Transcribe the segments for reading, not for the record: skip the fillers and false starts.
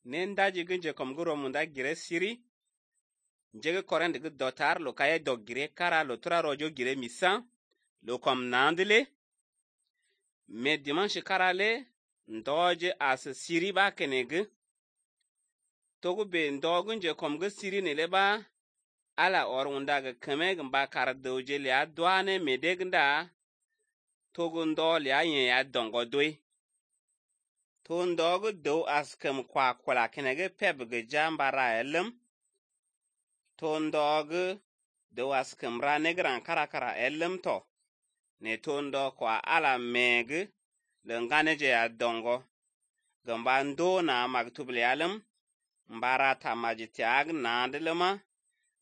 nen daji ginje kom guro munda gire siri njege korende gu dotar lo kaye dog gire kara lo tura rojo gire misa lo kom nandile me dimanche karale ndoje as siri ba kenege togu be ndogunje kom gu siri ne leba ala orunda ga kemeg ba kar doje le adwane medegnda togu ndo le ayen ya dongo doi to ndogu do askem kwa kula kenege pebge jambara elem to ndogu do askem ra negran karakara elem to ne to ndo kwa ala meg le nganeje ya dongo gamba ndo na magtubli alem mbara tamajitiag na ndelema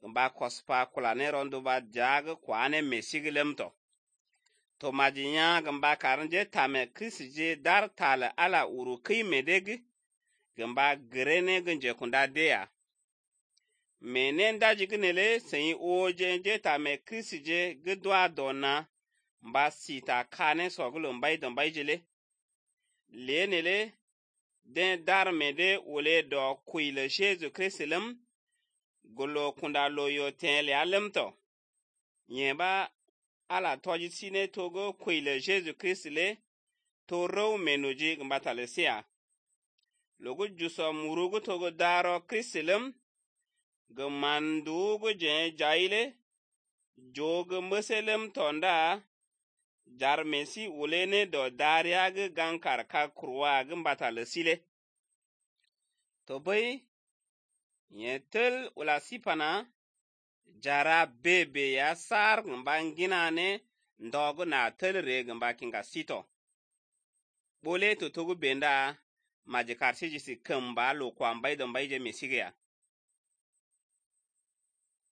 gamba kospa kula ne rondo ba jag kwane mesigilem to majinya gamba karanje tame krisije dar tala ala uru kai medeg gamba grene gunje kunda dea menen daji gnele sai oje tame krisije gdwa dona mba sita kane sogulu mbai don baijele lenele den dar mede ole do kuile Jesu Kristilem golo kunda loyo tenle alemto nyeba ala toji sine togo kuile Jesu Kristile to row menuji gmbatalesia logo juso murugo togo daro Kristilem gmandu go je jaile jog muselem tonda jar mesi ulene do dariag gankar ka kurwa gmbatalesile to boy yetel ula sipana jara bebe ya sar ngambangina ne ndogo na telre gamba kinga sito bole to togu benda majikar siji si kamba lo kwa mbai don baije mesigia